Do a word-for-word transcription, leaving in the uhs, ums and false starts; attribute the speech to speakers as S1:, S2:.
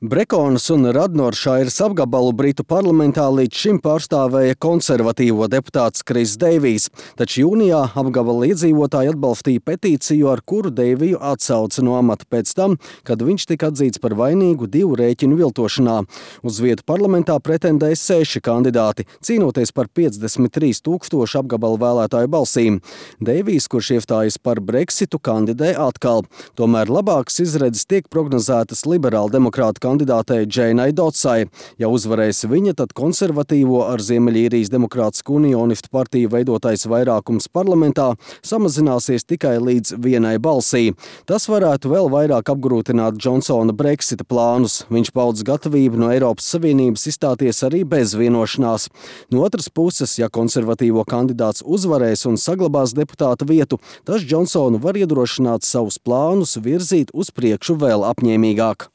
S1: Brekonas un Radnoršairas apgabalu Britu parlamentā līdz šim pārstāvēja konservatīvo deputāts Kris Deivijs, taču jūnijā apgabala iedzīvotāji atbalstīja petīciju, ar kuru Deiviju atsauca no amata pēc tam, kad viņš tika atzīts par vainīgu divu rēķinu viltošanā. Uz vietu parlamentā pretendēja seši kandidāti, cīnoties par piecdesmit trīs tūkstošu apgabala vēlētāju balsīm. Deivijs, kurš iestājas par Brexitu, kandidē atkal. Tomēr labākas izredzes tiek prognozētas liberāla demokrāta kandidātei Džeinai Dotsai. Ja uzvarēs viņa, tad konservatīvo ar Ziemeļīrijas Demokrātisku unionistu partiju veidotais vairākums parlamentā samazināsies tikai līdz vienai balsī. Tas varētu vēl vairāk apgrūtināt Džonsona Brexita plānus. Viņš paudz gatavību no Eiropas Savienības izstāties arī bez vienošanās. No otras puses, ja konservatīvo kandidāts uzvarēs un saglabās deputāta vietu, tas Džonsonu var iedrošināt savus plānus virzīt uz priekšu vēl apņēmīgāk.